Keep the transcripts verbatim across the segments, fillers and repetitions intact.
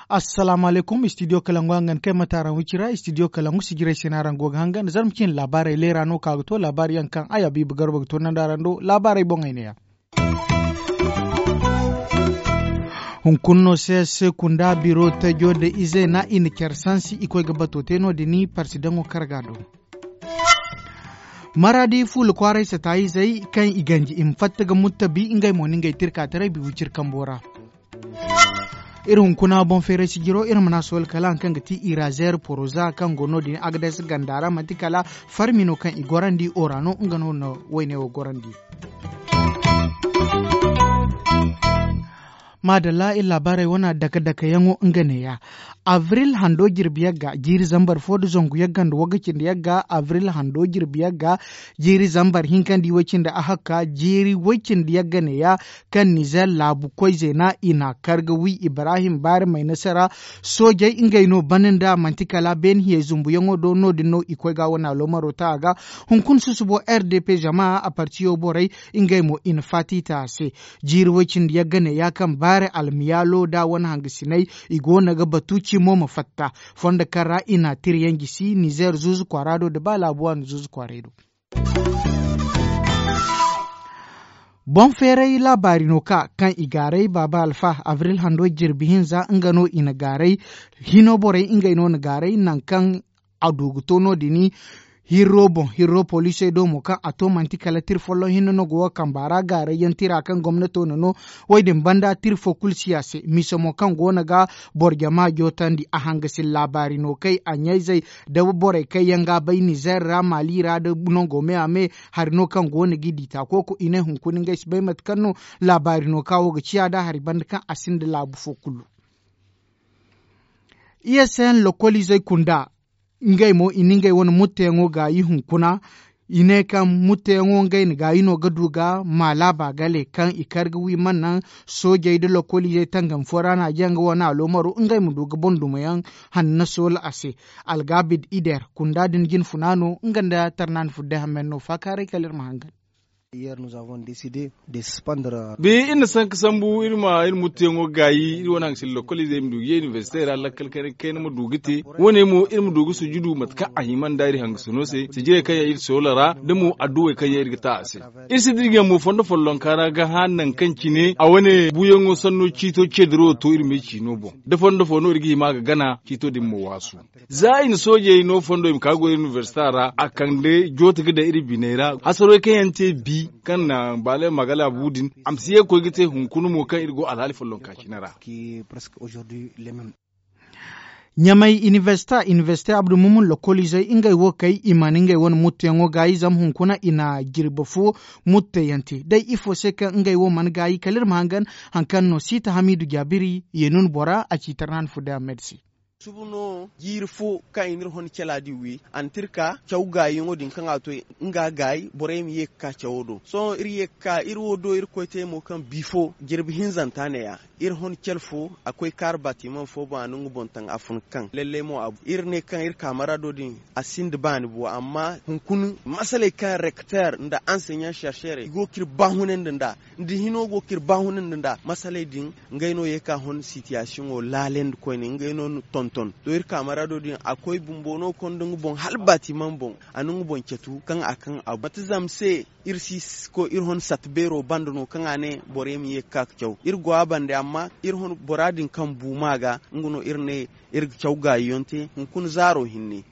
Assalaamu alaykum, studio kalangu hangan kay mate araŋ wicira. Studio kalangu sijirey se no araŋ go ga hangan zarma cine laabaarey leera no ka ga to laabaari yaŋ kaŋ ay abiiba garba ga toonandi araŋ do laabaarey boŋey ne ya. Hunkuna no se se kunda biro tajo nda ize na i na care sansi i koy ga bato te no- din parsidaŋo karga do. Maraadi fuula kwaaray sataayizey kaŋ i ganji i ma fatta ga muttabi ngey mo na ngey tirka taray bi wiciri kambo ra. Iri hunkuna boŋ feeray sijiro iri mana sohõ kala hari kaŋ ga ti irazeer poroza kaŋ go no- din agades ganda ra manti kala farmi no kaŋ i gorandi ora no nga no na wayne wo gorandi. Maadalla iri laabaarey wane dake dake yaŋo nga neeya. Abril hando jirbi yagga jiiri zambar fo nda zangu yagga nda wagga cindi yagga abril hando jirbi yagga jiiri zambar hinka nda i way cindi ahakka jiiri way cindi yagga neeya. Kaŋ nizer laabu koy zeena i na kar ga wi ibrahim baari may nasara. Soojey ngey no bana nda manti kala beene hiyey zumbuyaŋo do no- din no i koy ga wane aloomaro ta a ga. Hunkuna susubo r d p zama a partiyo borey ngey mo i na faati ta a se. Jiiri way cindi yagga ne ya kaŋ baare almiyaalo da wane hangasiney i go no ga batu cimo ma fatta. Fondo kaŋ ra i na tira yaŋ gisi nizer zuuzu kwaara do nda ba laabu waani zuuzu kwaaray do. Boŋ feeray laabaari no ka kaŋ i gaaray baaba alfa abril hando jirbi hinza nga no i na gaaray. Hino borey ngey no na gaaray nangu kaŋ a du ga to no- din. Hirro boŋ hirro poliisey do mo kaŋ a to manti kala tira folloŋ hinne no go ga kamba ra gaaray yaŋ tira kaŋ gomnato na no. Wo- din banda tira fo kulu si a se mise mo kaŋ go no ga boro jama jootandi a hangasi laabaari no kay a ɲayzey da borey kaŋ yaŋ ga a bay nizer ra maali ra nda nango me a me. Hari no kaŋ go no ga i di taako ko i ne hunkuna ngey si bay mate kaŋ no laabaari no ka wo ga ciya nd'a hari banda kaŋ a sinda laabu fo kulu. I s n lokoliizey kunda ngey mo i na ngey wane mutteyaŋo gaayi hunkuna. I ne kaŋ mutteyaŋo ngey na gaayi no ga du ga maalaaba gale kaŋ i kar ga wi mana naŋ soojey nda lokoliizey tangam fo ra na a jaŋ ga wane aloomaro ngey ma du ga boŋ dumo yaŋ hanna soola a se. Algabid ider kunda din jinfuna no nga nda tarnaani fudde hammen no faakaaray kala iri ma hangan. Bi iri na sanka sambu iri ma iri mutteyaŋo gaayi iri wane hangasila lokoliizey ma du ga ye inibersite ra lakkal kayna kayna ma du ga te. Wane mo iri ma du ga sujudu mate kaŋ a hima nda iri hangasino se sijirey kaŋ yaŋ iri soola ra da mo adduwey kaŋ yaŋ iri ga ta a se. Iri si dirgiyaŋ mo fondo follonka ra ga hã nangu kaŋ cine a wane buuyaŋo sanno ciito ceediro to iri me ciino boŋ da fondo fo no iri ga hima ga gana ciito din ma waasu. Za i na soojey no fondo i ma ka goy inibersita ra a kande jooti ga daŋ iri biney ra hasarey kaŋ yaŋ te bi kaŋ na baale magala bu din a ma si ye ga koy ga te hunkuna mo kaŋ iri go alhaali follonka cine ra. Ɲamay inibersita inibersite abdu mumun lokoliizey ngey wo kay i mana ngey wane muttuyaŋo gaayi zama hunkuna i na jirbi fo mutteyaŋ te day ifo se kaŋ ngey wo mana gaayi kala iri ma hangan. Hari kaŋ no siita hamiidu jaabiri yeenun bora a ci tarnaani fudde ahmed se. Subu no jiiri fo kaŋ i n'iri hon cala din wi a na te iri ka caw gaayiyaŋo din kaŋ a to nga gaayi borey ma ye ga ka cawo do sohõ iri ye ga ka iri wo do iri koy te mo kaŋ bi fo jirbi hinzanta ne- ya. Iri hon cal fo a koy kaari batimaŋ fo boŋ a na nga boŋ taŋ a fun kaŋ lallay mo a bu iri ne kaŋ iri kaamara do din a sinda baani bo amma hunkuna masaley kaŋ rekteer nda anseɲaŋ serserey i go ga iri baahunandi nd'a nda hino go ga iri baahunandi nd'a masaley din. Ngey no ye ka hon sitiyasiyoŋo laalandi koyne ngey no na tonton to iri kaamara do din a koy bumbo no ga konda nga boŋ hala batimaŋ boŋ a na nga boŋ catu kaŋ a kaŋ a bu mate zama se. Iri si koy iri hon sata beero banda no kaŋ a ne borey ma ye ga ka ga caw iri go a bande amma iri hon bora din kaŋ bu ma ga nga no iri ne iri ga caw gaayiyaŋ te hunkuna zaaro hinne.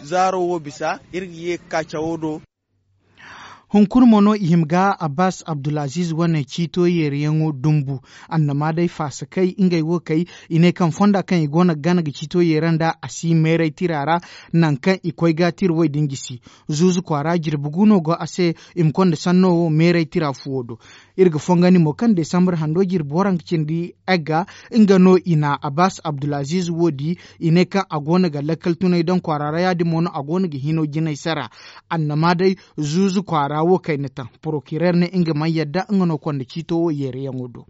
Zaaro wo bisa iri ga ye ga ka cawo do. Hunkuna mo no i hima ga abbas abdulaziz wane ciito yeeriyaŋo dumbu. Annama day faasa kay ngey wo kay i ne kaŋ fonda kaŋ i go no ga gana ga ciito yeera nd'a a si meeray tira ra. Nangu kaŋ i koy ga tira way din gisi zuuzu kwaara jirbi gu no go a se. I ma konda sanno wo meeray tira fuwo do. Iri ga fongandi mo kaŋ desambar hando jirbi waranka cindi egga nga no i na abbas abdulaziz wo di. I ne kaŋ a go no ga lakkal tunay daŋ kwaara ra ya- din mo no a go no ga hino jinay sara. Annama day zuuzu kwaara wo kayna taŋ porokireer ne nga mana yadda nga no konda ciito wo yeerayaŋo do.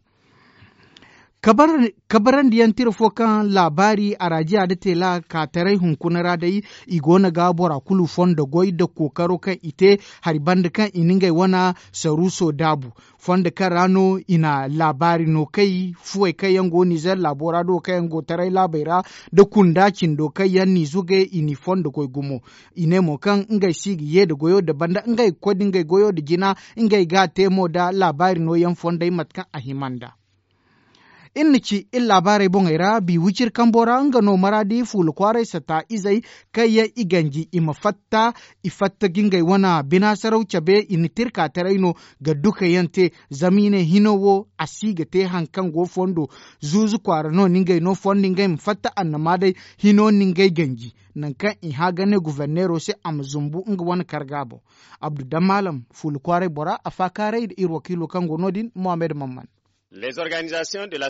Kabarandi yaŋ tira fo kaŋ laabaari araajiya nda teela kaataray hunkuna ra day, i go no ga bora kulu fondo goy nda kookaro kaŋ i te hari banda kaŋ i na ngey wane saruuso daabu. Fondo kaŋ ra no i na laabaari no kay fuwey kaŋ yaŋ go nizer laabo ra do kaŋ yaŋ go taray laabey ra, nda kunda cindo kaŋ yaŋ n'i zuge i n'i fondo goy gumo. I ne mo kaŋ ngey si ga ye nda goyo nda banda ngey ga koy nda ngey goyo nda jina, ngey ga a te mo nda laabaari no yaŋ fondey mate kaŋ a hima nda. Iri na ci iri laabaarey boŋey ra bi wiciri kambo ra nga no maraadi fuula kwaaray sata izey kaŋ yaŋ i ganji i ma fatta, i fatta ga ngey wane bina saraw cabe i na tirka taray no ga duka yaŋ te. Zama i ne hino wo a si ga te hari kaŋ go fondo zuuzu kwaara no ni ngey no fondo ngey ma fatta annama day hino ni ngey ganji. Nangu kaŋ i hã ga ne guverneero se a ma zumbu nga wane karga boŋ. Abdu dammaalam fuula kwaaray bora a faakaaray nda iri wakiilo kaŋ go no- din mohammed mamman.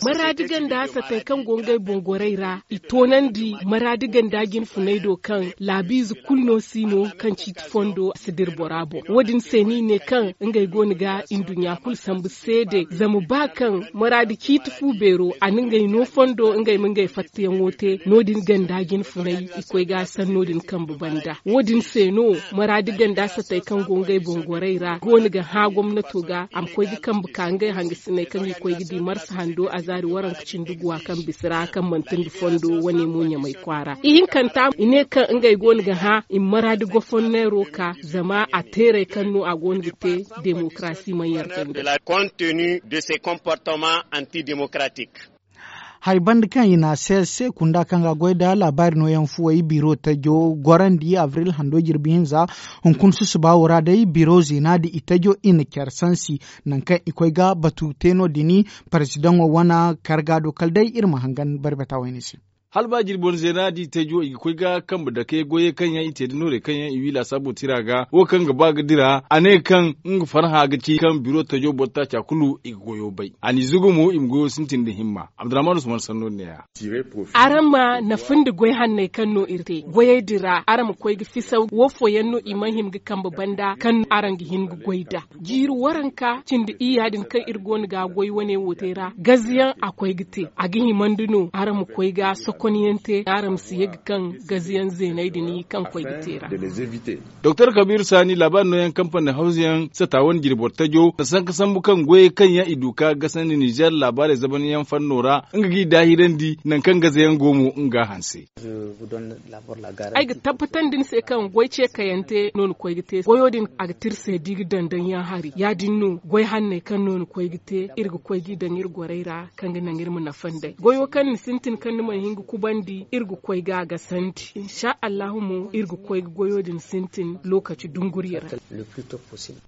Maraadi ganda satey kaŋ go ngey boŋ gorey ra i toonandi maraadi ganda jinfuney do kaŋ laabiize kulu no si no kaŋ ciiti fondo si dira bora boŋ. Wo- din se no i ne kaŋ ngey go no ga nduɲɲa kulu sambu seede zama ba kaŋ maraadi ciiti fu beero a na ngey no fondo ngey ma ngey fattayaŋo te no- din ganda jinfuney i koy ga sanno din kambe banda. Wo- din se no maraadi ganda satey kaŋ go ngey boŋ gorey ra go no ga hã gomnato ga a ma koy ga kambe ka ngey hangasiney kaŋ i koy ga di marsa hando a zaari waranka cindi guwa kaŋ bisa ra kaŋ manti nda fondo wane mo ɲamay kwaara ihinkanta i ne kaŋ ngey go no ga hã i ma maraadi gofonneero ka zama a teerey kaŋ no a go no ga te demokarasi mana yarda nda. Hari banda kaŋ i na a se se kunda kaŋ ga goy nda laabaari nooyaŋ fuwey biro tajo gorandi abril hando jirbi hinza. Hunkuna susuba wo ra day biro zeena da i tajo i na care sansi nangu kaŋ i koy ga batu te no- din. Paresidaŋo wane karga do kala day iri ma hangan barbata wayne se. Hala ba jirbi wane zeena da i tajo i ga koy ga kambe dake goyey kaŋ yaŋ i te da noorey kaŋ yaŋ i wi laasaabo tira ga wo kaŋ ga ba ga dira a ne kaŋ nga farhã ga ci kaŋ biro tajo boro taaca kulu i ga goyo bay a n'i zugu mo i ma goyo sintin nda himma. Abdurrahman usman sanno ne ya. Araŋ ma nafa nda goy hanney kaŋ no iri te goyey din ra araŋ ma koy ga fisaw wo fooyaŋ no i mana hima ga kambe banda kaŋ araŋ ga hin ga goy nd'a. Jiiri waranka cindi iyya din kaŋ iri go no ga goy wane wo te ra gaziyaŋ a koy ga te a ga himandi no araŋ ma koy ga sokonyaŋ te araŋ ma si ye ga kaŋ gaziyaŋ zeeney din kaŋ koy ga te ra. Doktor kabiru saani laabaari nooyaŋ kampani hawzuyaŋ sata wane jirbi boro tajo na sanka sambu kaŋ goyey kaŋ yaŋ i du ka gasandi nizer laabaarey zabanyaŋ fanno ra nga g'i daahirandi nangu kaŋ gazayaŋ go mo nga hanse. Ay ga tabbatandi ni se kaŋ goy ce kayante no ni koy ga te goyo din a ga te iri se da i ga daŋ daŋ yaŋ hari ya- din no goy hanney kaŋ no ni koy ga te iri ga koy g'i daŋ iri gorey ra kaŋ ga naŋ iri ma nafa nd'ey goyo kaŋ ni sintin kaŋ ni mana hin ga kubandi iri ga koy ga a gasandi. Insa allahu mo iri ga koy ga goyo din sintin lookaci dunguriya ra.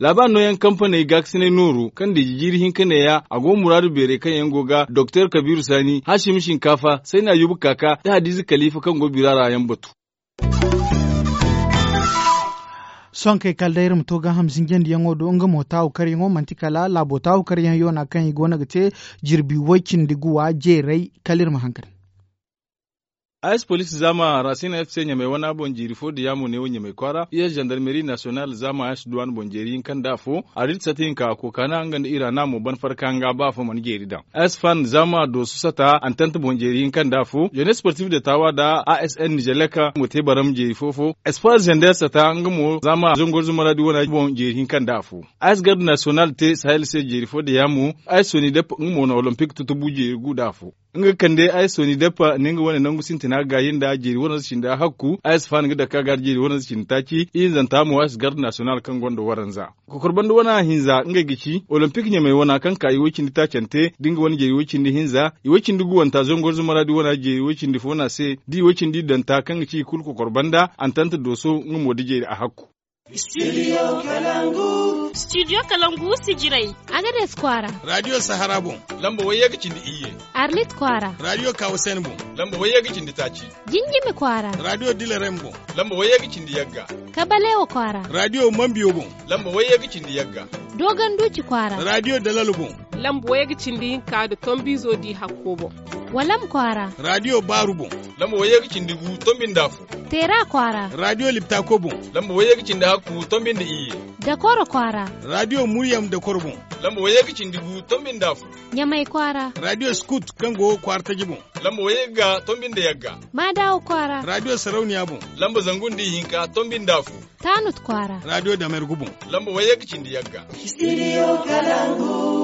Laabaari nooyaŋ kampaney gaakasinay nooru kaŋ deeji jiiri hinka neeya a go muraadu beerey kaŋ yaŋ go ga doktor kabiiru saani haashim shinkaafa sayna yubu kaaka da hadiiza kaliifa kaŋ go bira ra yaŋ batu. Sohõ kay kala day iri ma to gaaham zinjandiyaŋo do nga mo taahu karyaŋo manti kala laabo taahu karyaŋ yoona kaŋ i go no ga te jirbi way-cindi guwa jeeray. Kala iri ma hangan. Ayes police zaama rasina f c ɲamay wana boŋ jeeri fo da yaamo neewo ɲamay kwaara iyes zandarmeri nasiyonal zaama ayes duwan boŋ jeeri hinka nda afo arit sata hinka kookana nga nda iraana mo ban farka nga ba afo mana jeeri daŋ. Ayes fan zaama dooso sata antant boŋ jeeri hinka nda afo jenes sportif de taawa da asn nizelek mo te baram jeeri fo fo espoir zender sata nga mo zaama zongor zumaradi wana boŋ jeeri hinka nda afo. Ayes garde nasiyonal te sahel se jeeri fo da yaamo ayes soni dep nga mo na olompik tutubu jeeri gu nda afo. Nga ga kande ayes soni dep ne nga wane nangu sintina gaayi nda jeeri waranza cindi ahakku ayes fan ga dake a ga jeeri waranza cindi taaci ihinzanta mo ayes garde nasiyonal kaŋ gonda waranza. Kokor banda wana hinza ngey ga ci olompik ɲamay wana kaŋ ka iway cindi taacante da nga wane jeeri iway cindi hinza iway cindi guwanta zongor zumaradi wana jeeri iway cindi fo na se da iway cindi danta kaŋ ga ci i kulu kokor banda antant dooso nga mo da jeeri ahakku. Studio kalangu sijirey. Agades kwaara radio sahara boŋ lamba wayye ga cindi iyye. Arlit kwaara radio kawasen boŋ lamba wayye ga cindi taaci. Jinjimi kwaara radio dilarem boŋ lamba wayye ga cindi yagga. Kabalewa kwaara radio mambiyo boŋ lamba wayye ga cindi yagga. Dogon duuci kwaara radio dalal boŋ. Lamba wayye ga cindi hinka nda tombiizo di hakko boŋ. Walam kwaara. Raadiyo baaru boŋ. Lamba wayye ga cindi gu tombi nda afo. Teera kwaara. Raadiyo liptako boŋ. Lamba wayye ga cindi hakku tombi nda iyye. Dakoro kwaara. Raadiyo muryam dakoro boŋ. Lamba wayye ga cindi gu tombi nda afo. Ɲamay kwaara. Raadiyo skut kaŋ go kwaara taji boŋ. Lamba wayye ga tombi nda yagga. Maadawa kwaara. Raadiyo sarauniya boŋ. Lamba zangu nda ihinka tombi nda afo. Taanut kwaara. Raadiyo damergu boŋ. Lamba wayye ga cindi yagga. Studio Kalangu.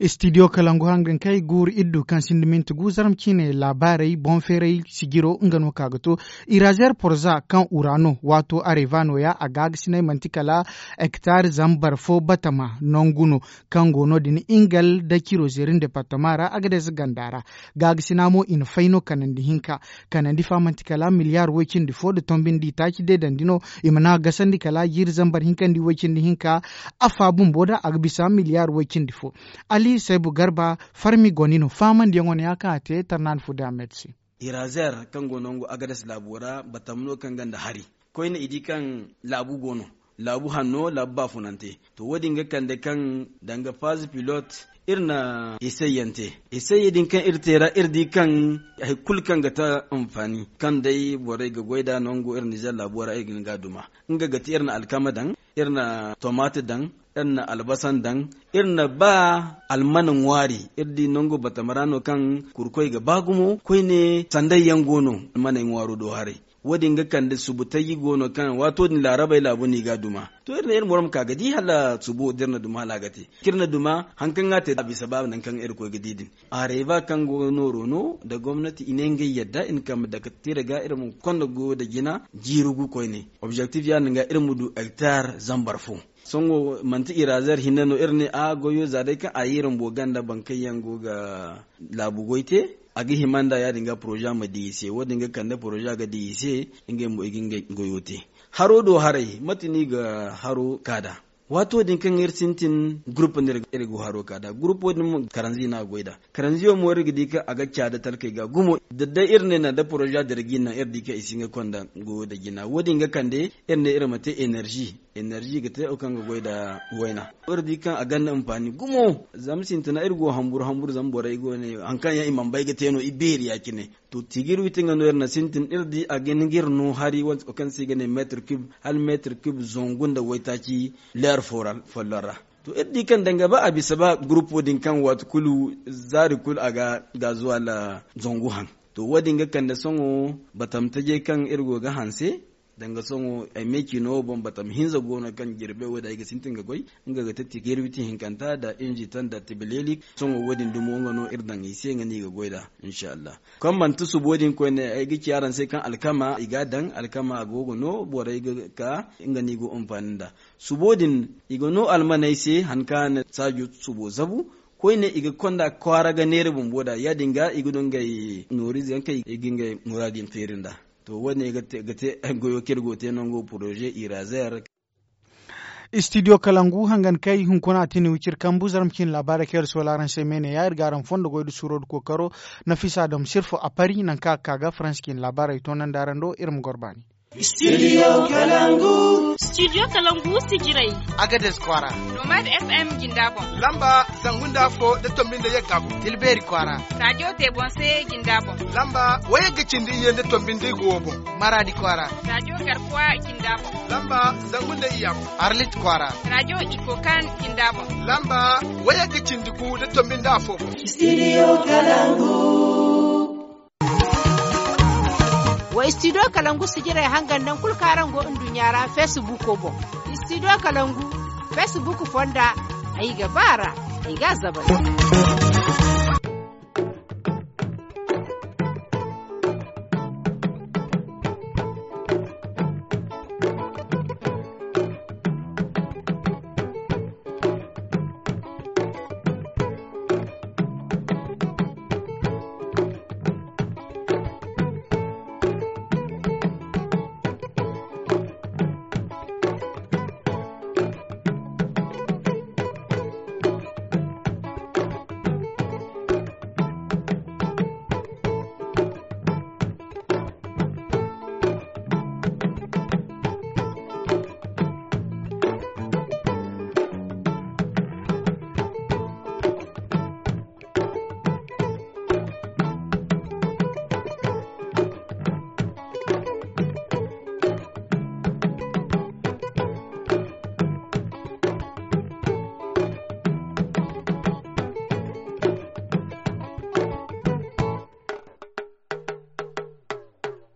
Studio Kalangu hangan kay guuru iddu kaŋ sinda minti gu zarma ciine laabaarey boŋ feeray sijiro nga no ka ga to. Irazer porza kaŋ urano waato areva nooya a gaagasinay manti kala hektar zambar fo batama nangu no kaŋ go no- din ingal da ciro zerin departama ra agades ganda ra. Gaagasina mo i na fay no kanandi hinka. Kanandi fa manti kala miliyar woy cindi fo nda tombindi taaci deedandi no. I mana gasandi kala jiiri zambar hinka nda woy cindi hinka. Afa bumbo da a ga bisa miliyar woy cindi fo. Ali saybu garba farmi goni no faamandiyaŋo no ya kaŋ a te tarnaani fo da a met se. Irazer kaŋ go nangu agades laabo ra batam no kaŋ ganda hari koyne i di kaŋ laabu go no. Laabu hanno laabu baafunante. To wo- din ga kande kaŋ danga faazi pilot iri na eseye yaŋ te. Eseye din kaŋ iri te ra iri di kaŋ hari kulu kaŋ ga ta anfaani kaŋ day borey ga goy nd'a nangu iri nizer laabo ra iri ga hin ga a duma. Nga ga ti iri na alkama daŋ, iri na tomate daŋ, iri na albasan daŋ, iri na ba almana ŋwaari. Iri di nangu batama ra no kaŋ kurkoy ga ba gumo koyne sanday yaŋ go no almaney ŋwaaro do haray. Wo- din ga kande subu taji go no kaŋ waato din laarabey laabu no i ga a duma. To iri ne iri moro ma ka ga di hala subo da iri na duma hala a ga te kaŋ iri na duma hari kaŋ ga a te a bisa ba nangu kaŋ iri koy ga di din. Areva kaŋ go nooro no nda gomnati i ne ngey yadda i na kambe dake tira ga iri ma konda goyo nda jina jiiri gu koyne. Objektif ya- din ga iri ma du hektar zambar fo. Sohõ manti irazer hinne no iri ne a goyo za day kaŋ a ye iri bumbo ganda boro kaŋ yaŋ go ga laabu goy te. A ga hima nd'a ya- din ga poroza ma di i se wo- din ga kande poroza ga di i se. Ngey bumbo i ga ngey goyo te. Haro do haray mate no i ga haro ka nd'a? Waato din kaŋ iri sintin gurup no iri go haro ka nd'a gurupo din mo karanzi no a goy nd'a. Karanziyo mo iri ga di kaŋ a ga caada talkey ga gumo da day iri ne naŋ da poroza dira ga i naŋ iri di kaŋ i si hin ga konda goyo nda jina wo- din ga kande iri ne iri ma te enerzi. Enerzi ga te wo kaŋ ga goy nda wayna. Iri di kaŋ a gonda anfaani gumo. Zama sintina iri go hamburu hamburu zama borey go ne hari kaŋ yaŋ i mana bay ga te no i beeri ya- cine. To tiigir witi nga no iri na sintin iri di a ga hin ga iri no hari wo- kaŋ se i ga ne meetir kub hala meetir kub zangu nda waytaaci leer folloŋ ra. To iri di kaŋ danga ba a bisa ba gurupo din kaŋ waati kulu zaari kulu a ga gaazuwal zangu haŋ. To wo- din ga kande sohõ batam tajey kaŋ iri go ga hanse. Danga sohõ ay me ciino wo boŋ batam hinza go no kaŋ jirbe wo- din ay ga sintin ga goy. Nga ga te tiigir witi hinkanta nda inzi tan nda tibileeli. Sohõ wo- din dumo nga no iri daŋ i se nga no i ga goy nd'a. Insha allah kaŋ manti subo din koyne ay ga ci araŋ se kaŋ alkama i ga a daŋ alkama a go ga no borey ga ka nga no i go anfaani nd'a. Subo din i ga no almaney se hari kaŋ a na saajo subo zabu. Koyne i ga konda kwaara ga neera bumbo nd'a ya- din ga i ga du ngey nooriize yaŋ kaŋ i ga ngey muraadu yaŋ feeri nd'a. To wo- ne ga te goyo kaŋ iri go ga te nango poroze irazer. Studio kalangu hangan kay hunkuna a tini wiciri kambu zarma cine laabaarey kaŋ iri soola araŋ se meene ya iri ga araŋ fondo goy nda suuro nda kookaro. Nafisa dam sirfo a pari nangu kaŋ a ga ka ga faransi cine laabaarey toonandi araŋ do iri ma goro baani. Studio kalangu. Studio kalangu sijirey. Agades kwaara. Nomad fm jinda boŋ. Lamba zangu nda afo nda tombi nda yagga boŋ. Tilbeeri kwaara. Radio tebonse jinda boŋ. Lamba wayagga cindi iyye nda tombi nda igo boŋ. Maradi kwaara. Radio garkuwa jinda boŋ. Lamba zangu nda iyya boŋ. Arlit kwaara. Radio ikokan jinda boŋ. Lamba wayagga cindi gu nda tombi nda afo boŋ. Studio kalangu. Wa studio kalangu sijirey hangan naŋ kulu kaŋ araŋ go nduɲɲa ra facebook boŋ. Studio kalangu facebook fonda. Ay ga ba ra. Ay ga a zabay.